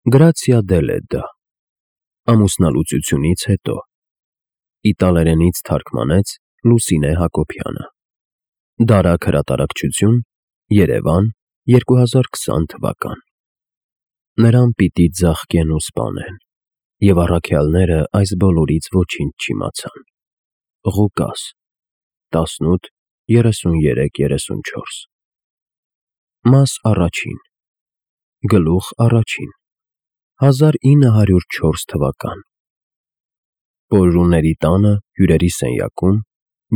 Գրացիա Դելեդա, ամուսնալուծությունից հետո, իտալերենից թարգմանեց Լուսինե Հակոբյանը, Դարակ հրատարակչություն, Երևան, 2020 թվական։ Նրան պիտի ձաղկեն ու սպանեն, և առաքյալները այս բոլորից ոչինչ չիմացան։ Ղուկաս 18:33-34 Մաս առաջին, գլուխ առաջին, 1904 թվական։ Պորրուների տանը հյուրերի սենյակում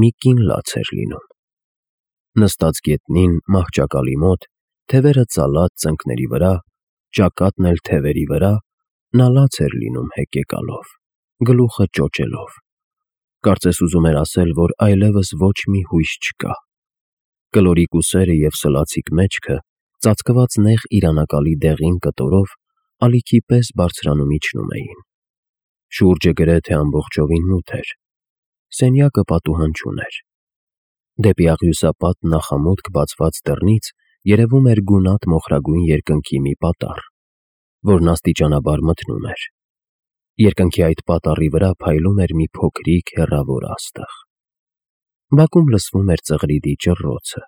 մի կին լաց էր լինում։ Նստած գետնին մահճակալի մոտ, թևերը ծալած ծնկների վրա, ճակատն էլ թևերի վրա, նա լաց էր լինում հեկեկալով, գլուխը ճոճելով։ Կարծես ուզում էր ասել, որ այլևս ոչ մի հույս չկա։ Կլորիկ ուսերը և սլացիկ մեջքը, ծածկված նեղ իրանակալի դեղին կտորով, ալիքի պես բարձրանում իջնում էին։ Շուրջը գրեթե ամբողջովին մութ էր։ Սենյակը պատուհան չուներ։ Դեպի աղյուսապատ նախամուտք բացված դռնից երևում էր գունատ մոխրագույն երկնքի մի պատառ, որն աստիճանաբար մթնում էր։ Երկնքի այդ պատառի վրա փայլում էր մի փոքրիկ հեռավոր աստղ։ Բակում լսվում էր ծղրիդի ճռռոցը,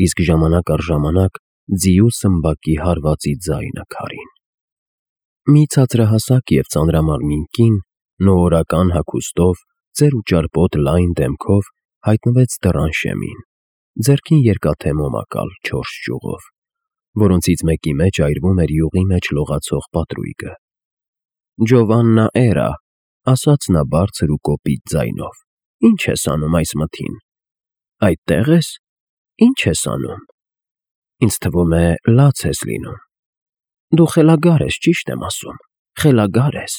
իսկ ժամանակ առ ժամանակ ձիու սմբակի հարվածի ձայնը քարին։ Մի ցածրահասակ և ծանրամարմին կին, նոհորական հագուստով, ծեր ու ճարպոտ լայն դեմքով հայտնվեց դռան շեմին, ձեռքին երկաթե մոմակալ 4 ճյուղով, որոնցից մեկի մեջ այրվում էր յուղի մեջ լողացող պատրույգը։ «Ջովաննա էրա», ասաց նա բարձր ու կոպիտ ձայնով, «ի՞նչ ես անում այս մթին։ Այդտե՞ղ ես։ Ի՞նչ ես անում։ Ինձ թվում է, լաց ես լինում։ Դու խելագար ես, ճիշտ եմ ասում, խելագար ես»։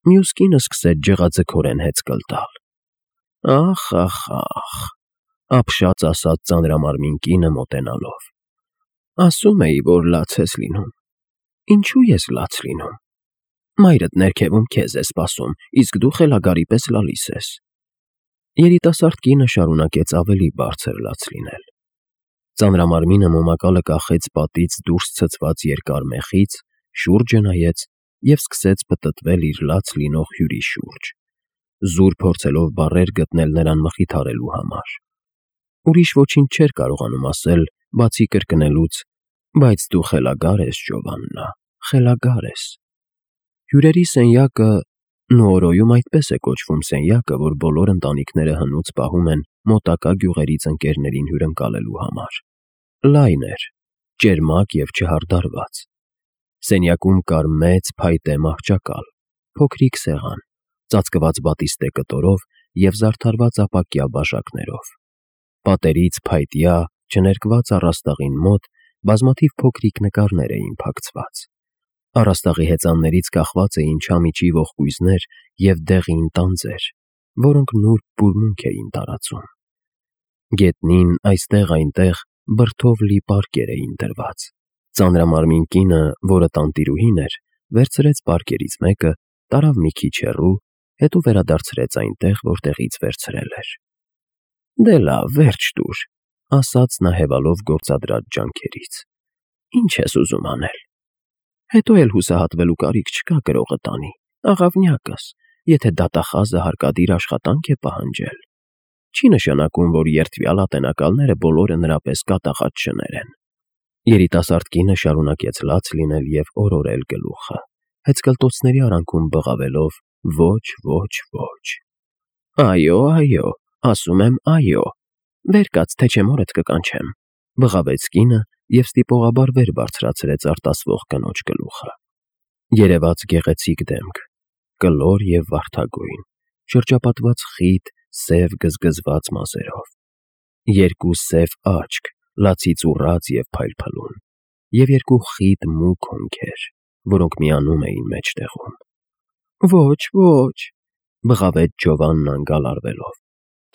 Մյուս կինը սկսեց ջղաձգորեն հեծկլ տալ։ «Ախ, ապշած ասաց ծանրամարմին կինը մոտենալով, ասում էի, որ լաց ես լինում։ Ինչու ես լաց լինում։ Մայրդ ներքևում քեզ է սպասում, իսկ դու խելագարի պես լալիս ես»։ Երիտասարդ կինը շարունակեց ավելի բարձր լաց լինել։ Ծանրամարմինը մոմակալը կախեց պատից դուրս ցցված երկար մեխից, շուրջը նայեց և սկսեց պտտվել իր լաց լինող հյուրի շուրջ, զուր փորձելով բառեր գտնել նրան մխիթարելու համար։ Ուրիշ ոչինչ չէր կարողանում ասել, բացի կրկնելուց. «Բայց դու խելագար ես, Ջովաննա, խելագար ես»։ Հյուրերի սենյակը, Նուորոյում այդպես է կոչվում սենյակը, որ բոլոր ընտանիքները հնուց պահում են մոտակա գյուղերից ընկերներին հյուրընկալելու համար, լայն էր, ճերմակ և չհարդարված։ Սենյակում կար մեծ փայտե մահճակալ, փոքրիկ սեղան, ծածկված բատիստե կտորով և զարդարված ապակյա բաժակներով։ Պատերից փայտյա, չներկված առաստաղին մոտ բազմաթիվ փոքրիկ նկարներ էին փակցված։ Առաստաղի հեծաններից կախված էին չամիչի ողկույզներ և դեղին տանձեր, որոնք նուրբ բուրմունք էին տարածում։ Գետնին այստեղ-այնտեղ բրդով լի պարկեր էին դրված։ Ծանրամարմին կինը, որը տանտիրուհին էր, վերցրեց պարկերից մեկը, տարավ մի քիչ հեռու, հետո վերադարձրեց այնտեղ, որտեղից վերցրել էր։ «Դե լավ, վերջ տուր», ասաց նա հևալով գործադրած ջանքերից։ «Ինչ ես ուզում անել։ Հետո էլ հուսահատվելու կարիք չկա կրողը տանի, աղավնյակս, եթե դատախազը հարկադիր աշխատանք է պահանջել։ Չի նշանակում, որ երդվյալ ատենակալները բոլորը նրա պես կատաղած շներ են»։ Երիտասարդ կինը շարունակեց լաց լինել և օրորել գլուխը, հեծկլտոցների արանքում բղավելով. «Ոչ, ոչ, ոչ»։ «Այո, ասում եմ այո, վեր կաց, թե չէ մորդ կկանչեմ», բղավեց կինը և ստիպողաբար վեր բարձրացրեց արտասվող կնոջ գլուխը։ Երևաց գեղեցիկ դեմք, կլոր և վարդագույն, շրջապատված խիտ, սև գզգզված մազերով, երկու սև աչք, լացից ուռած և փայլփլուն, և երկու խիտ մուգ հոնքեր, որոնք միանում էին մեջտեղում։ «Ոչ, ոչ», բղավեց Ջովաննան գալարվելով,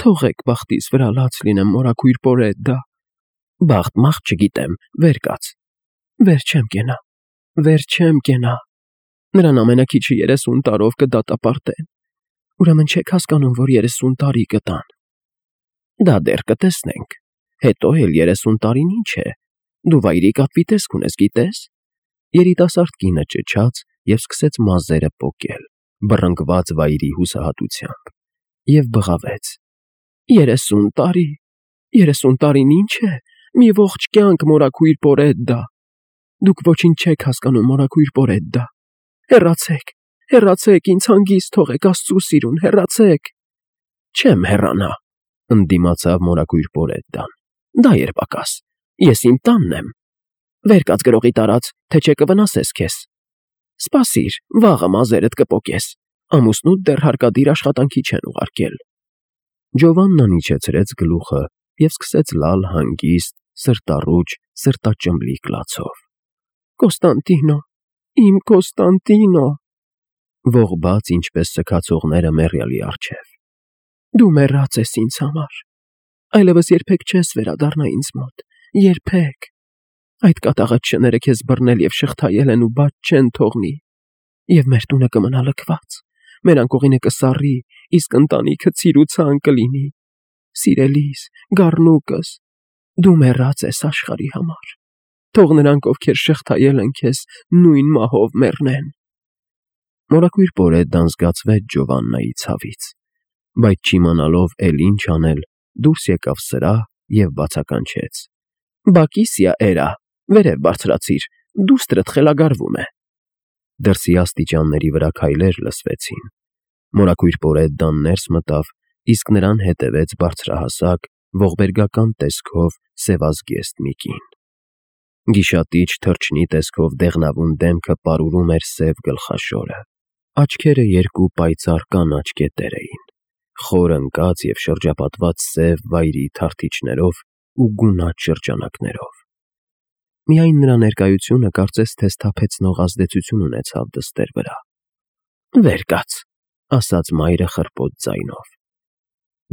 «թողեք բախտիս վրա լաց լինեմ, մորաքույր Պորեդդա»։ «Բախտ-մախտ չգիտեմ, վեր կաց»։ «Վեր չեմ կենա։ Նրան ամենաքիչը 30 տարով կդատապարտեն։ Ուրեմն չեք հասկանում, որ 30 տարի կտան։ Դա դեռ կտեսնենք։ Հետո էլ 30 տարին ինչ է։ Դու վայրի կապվի տեսք ունես, գիտես։ Երիտասարդ կինը ճչաց և սկսեց մազերը պոկել, բռնկված վայրի հուսահատությամբ, և բղավեց. 30 տարի, 30 տարին ինչ է, մի ողջ կյանք մորաքույր Պորեդդա, դուք ոչինչ չեք հասկանում մորաքույր Պորեդդա, հեռացեք, հեռացեք, ինձ հանգիստ թողեք, Աստծու սիրուն, հեռացեք։ Չեմ հեռանա, ընդդիմացավ մորաքույր Պորեդդան, դա էր պակաս, ես իմ տանն եմ, վեր կաց գրողի տարած, թե չէ կվնասես քեզ, սպասիր, վաղը մազերդ կպոկես, ամուսնուդ դեռ հարկադիր աշխատանքի չեն ուղարկել։ Ջովաննան իջեցրեց գլուխը և սկսեց լալ հանգիստ, սրտառուչ, սրտաճմլիկ լացով. Կոստանտինո, իմ Կոստանտինո, ողբաց ինչպես սգացողները մեռյալի առջև, դու մեռած ես ինձ համար, այլևս երբեք չես վերադառնա ինձ մոտ, երբեք, այդ կատաղած շները քեզ բռնել և շղթայել են ու բաց չեն թողնի, և մեր տունը կմնա լքված, մեր անկողինը կսառի, իսկ ընտանիքը ցիրուցան կլինի, սիրելիս, գառնուկս, դու մեռած ես աշխարհի համար, թող նրանք, ովքեր շղթայել են քեզ, նույն մահով մեռնեն։ Մորաքույր Պորեդդան զգացվեց Ջովաննայի ցավից, բայց չիմանալով էլ ինչ անել, դուրս եկավ սրահ և բացականչեց. Բակիսիա էրա, վերև բարձրացիր, դուստրդ խելագարվում է։ Դրսի աստիճանների վրա քայլեր լսվեցին։ Մորաքույր Պորեդդան ներս մտավ, իսկ նրան հետևեց բարձրահասակ, ողբերգական տեսքով սևազգեստ մի կին։ Գիշատիչ թռչնի տեսքով դեղնավուն դեմքը պարուրում էր սև գլխաշորը, աչքերը երկու պայծառ կանաչ կետեր էին, խոր ընկած և շրջապատված սև վայրի թարթիչներով ու գունատ շրջանակներով։ Միայն նրա ներկայությունը կարծես թե սթափեցնող ազդեցություն ունեցավ դստեր վրա։ Վեր կաց, ասաց մայրը խռպոտ ձայնով։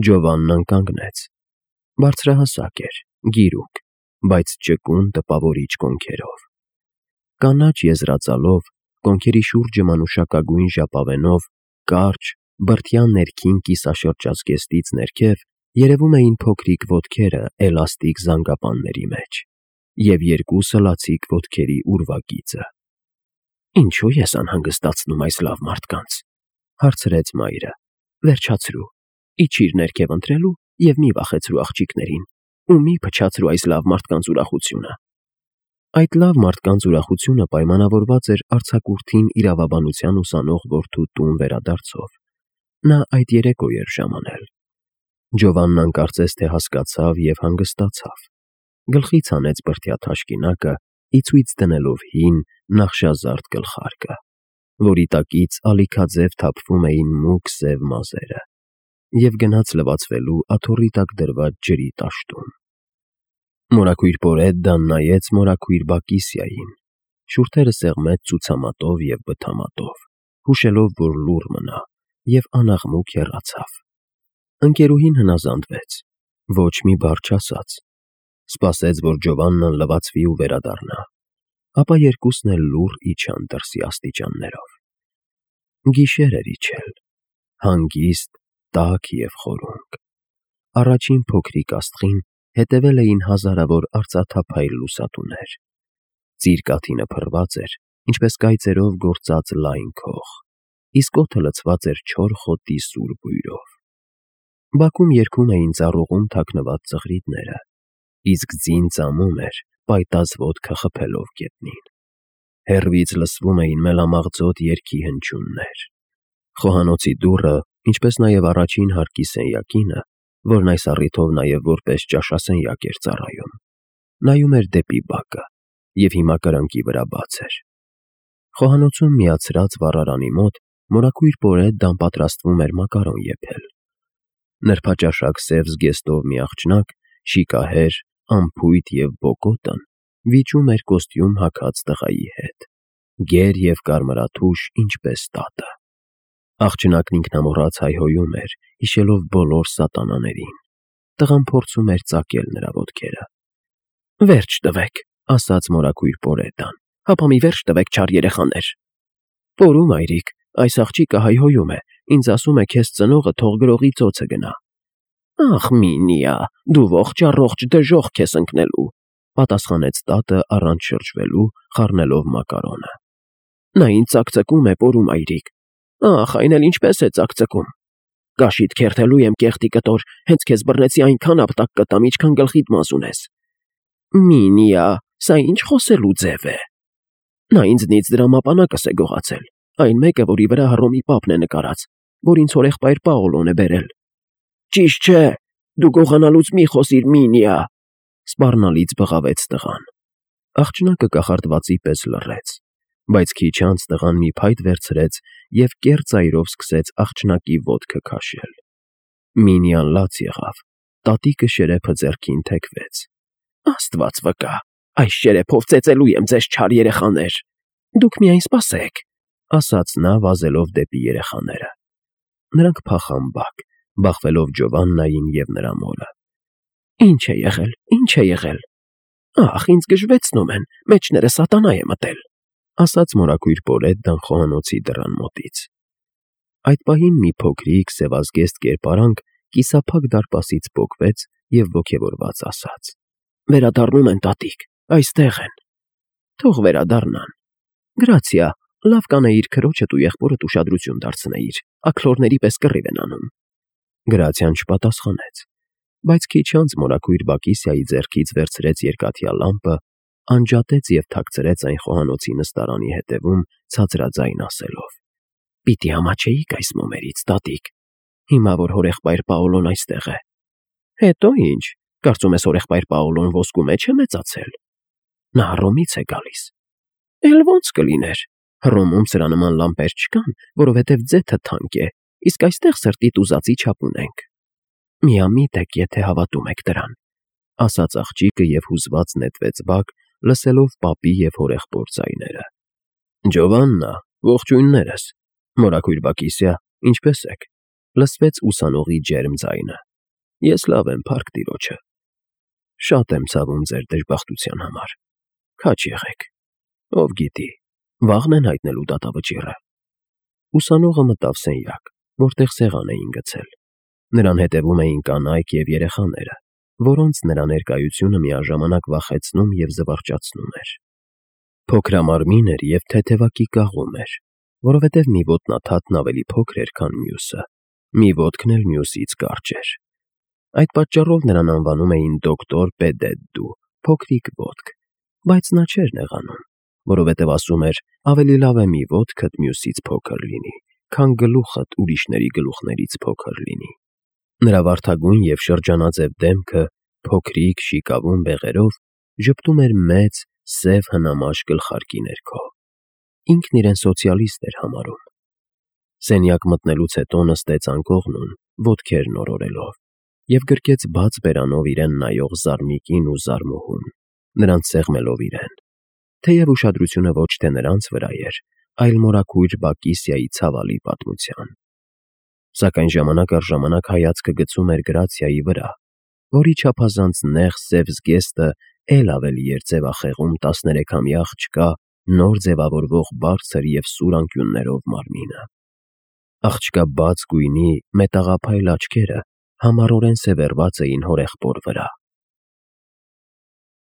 Ջովաննան կանգնեց։ Բարձրահասակ էր, գիրուկ, բայց ճկուն տպավորիչ կոնքերով։ Կանաչ եզրածալով, կոնքերի շուրջը մանուշակագույն ժապավենով, կարճ, բրդյա ներքին կիսաշրջազգեստից ներքև երևում էին փոքրիկ ոտքերը էլաստիկ զանգապանների մեջ և երկու սլացիկ ոտքերի ուրվագիծը։ Ինչո՞ւ ես անհանգստացնում այս լավ մարդկանց, հարցրեց մայրը, վերջացրու, իջիր ներքև ընթրելու և մի վախեցրու աղջիկներին, ու մի փչացրու այս լավ մարդկանց ուրախությունը։ Այդ լավ մարդկանց ուրախությունը պայմանավորված էր արձակուրդին իրավաբանության ուսանող որդու տուն վերադարձով։ Նա այդ երեկո էր ժամանել։ Ջովաննան կարծես թե հասկացավ և հանգստացավ։ Գլխից հանեց բրդյա թաշկինակը, ի ցույց դնելով հին, նախշազարդ գլխարկը, որի տակից ալիքաձև թափվում էին մուգ սև մազերը, և գնաց լվացվելու աթոռի տակ դրված ջրի տաշտում։ Մորաքույր Պորեդդան նայեց մորաքույր Բակիսիային, շուրթերը սեղմեց ցուցամատով և բթամատով, հուշելով, որ լուռ մնա, և անաղմուկ հեռացավ։ Ընկերուհին հնազանդվեց, ոչ մի բառ չասաց, սպասեց, որ Ջովաննան լվացվի ու վերադառնա, ապա երկուսն էլ լուռ իջան դրսի աստիճաններով։ Գիշեր էր իջել, հանգիստ, տաք և խորունկ։ Առաջին փոքրիկ աստղին հետևել էին հազարավոր արծաթափայլ լուսատուներ։ Ծիր կաթինը փռված էր, ինչպես կայծերով գործած լայն քող, իսկ օդը լցված էր չոր խոտի սուր բույրով։ Բակում երգում էին ծառուղում թաքնված ծղրիդները, իսկ ձին ծամում էր, պայտած ոտքը խփելով գետնին։ Հեռվից լսվում էին մելամաղձոտ երգի հնչյուններ։ Խոհանոցի դուռը, ինչպես նաև առաջին հարկի սենյակինը, որն այս առիթով նաև որպես ճաշասենյակ էր ծառայում, նայում էր դեպի բակը և հիմա կրկնակի վրա բաց էր։ Խոհանոցում միացրած վառարանի մոտ մորաքույր Պորեդդան պատրաստվում էր մակարոն եփել։ Նրբաճաշակ սև զգեստով մի աղջնակ, շիկահեր, անփույթ և բոկոտն վիճում էր կոստյում հագած տղայի հետ, գեր և կարմրաթուշ, ինչպես տատը։ Աղջնակն ինքնամոռաց հայհոյում էր, հիշելով բոլոր սատանաներին։ Տղան փորձում էր ծակել նրա ոտքերը։ Վերջ տվեք, ասաց մորաքույր Պորեդդան, հապա մի վերջ տվեք, չար երեխաներ։ Պորու մայրիկ, այս աղջիկը հայհոյում է, ինձ ասում է քեզ ծնողը թող գրողի ծոցը գնա։ Ախ, Մինիա, դու ողջ առողջ դժոխք ես ընկնելու։ պատասխանեց տատը առանց շրջվելու, խառնելով մակարոնը։ Նա ինձ ծակծկում է, պորու մայրիկ։ Ախ, այն էլ ինչպես է ծակծկում։ Կաշիդ քերթելու եմ կեղտի կտոր, հենց քեզ բռնեցի այնքան ապտակ կտամ, ինչքան գլխիդ մազ ունես։ Մինիա, սա ինչ խոսելու ձև է։ Նա ինձնից դրամապանակս է գողացել, այն մեկը, որի վրա Հռոմի պապն է նկարած, որ ինձ հորեղբայր Պաոլոն է բերել։ Ճիշտ չէ, դու գողանալուց մի խոսիր, Մինիա, սպառնալից բղավեց տղան։ Աղջնակը կախարդվածի պես լռեց, բայց քիչ անց տղան մի փայտ վերցրեց և կեռ ծայրով սկսեց աղջնակի ոտքը քաշել։ Մինիան լաց եղավ, տատիկը շերեփը ձեռքին թեքվեց։ Աստված վկա, այս շերեփով ծեծելու եմ ձեզ չար երեխաներ։ Դուք միայն սպասեք, ասաց նա վազելով դեպի երեխաները։ Նրանք փախան բակ, բախվելով Ջովաննային և նրա մորը։ Ինչ է եղել։ Ախ, ինձ գժվեցնում են, մեջները սատանա է մտել, ասաց մորաքույր Պոլետան խոհանոցի դռան մոտից։ Այդ պահին մի փոքրիկ սևազգեստ կերպարանք կիսափակ դարպասից պոկվեց և ոգևորված ասաց. Վերադառնում են, տատիկ, այստեղ են։ Թող վերադառնան։ Գրացիա, լավ կանեիր քրոջդ ու եղբորդ ուշադրություն դարձնեիր, աքլորների պես կռիվ են անում։ Գրացիան չպատասխանեց, բայց քիչ անց մորաքույր Բակիսիայի ձեռքից վերցրեց երկաթյա լամպը, անջատեց և թաքցրեց այն խոհանոցի նստարանի հետևում, ցածրաձայն ասելով. Պիտի ամաչեիք այս մոմերից, տատիկ, հիմա որ հորեղբայր Պաոլոն այստեղ է։ Հետո ինչ, կարծում ես հորեղբայր Պաոլոն ոսկու մեջ է մեծացել։ Նա Հռոմից է գալիս։ Էլ ո՞նց կլիներ։ Հռոմում սրա նման լամպեր չկան, որովհետև ձեթը թանկ է, իսկ այստեղ սրտիդ ուզածի չափ ունենք։ Միամիտ եք, եթե հավատում եք դրան, ասաց աղջիկը և հուզված նետվեց բակ, լսելով պապի և հորեղբոր ձայները։ Ջովաննա, ողջույններս, մորաքույր Բակիսիա, ինչպե՞ս եք, լսվեց ուսանողի ջերմ ձայնը։ Ես լավ եմ, փառք Տիրոջը։ Շատ եմ ցավում ձեր դժբախտության համար։ Քաջ եղեք։ Ով գիտի, վաղն են հայտնելու դատավճիռը։ Ուսանողը մտավ սենյակ, որտեղ սեղան էին գցել։ Նրան հետևում էին կանայք և երեխաները, որոնց նրա ներկայությունը միաժամանակ վախեցնում և զվարճացնում էր։ Փոքրամարմին էր և թեթևակի կաղում էր, որովհետև մի ոտնաթաթն ավելի փոքր էր, քան մյուսը, մի ոտքն էլ մյուսից կարճ էր։ Այդ պատճառով նրան անվանում էին դոկտոր Պեդեդդու, փոքրիկ ոտք, բայց նա չէր նեղանում, որովհետև ասում էր, ավելի լավ է մի ոտքդ մյուսից փոքր լինի, քան գլուխդ ուրիշների գլուխներից փոքր լինի։ Նրա վարդագույն և շրջանաձև դեմքը, փոքրիկ, շիկավուն բեղերով, ժպտում էր մեծ, սև հնամաշ գլխարկի ներքո։ Ինքն իրեն սոցիալիստ էր համարում։ Սենյակ մտնելուց հետո նստեց անկողնուն, ոտքերն օրորելով, և գրկեց բաց բերանով իրեն նայող Զարմիկին ու Զարմուհուն, նրանց սեղմելով իրեն, թեև ուշադրությունը ոչ թե նրանց վրա էր, այլ մորաքույր Բակիսիայի ցավալի պատմության։ Սակայն ժամանակ առ ժամանակ հայացքը գցում էր Գրացիայի վրա, որի չափազանց նեղ սև զգեստը էլ ավելի էր ձևախեղում 13-ամյա աղջկա նոր ձևավորվող բարձր և սուր անկյուններով մարմինը։ Աղջկա բաց գույնի մետաղափայլ աչքերը համառորեն սևեռված էին հորեղբոր վրա,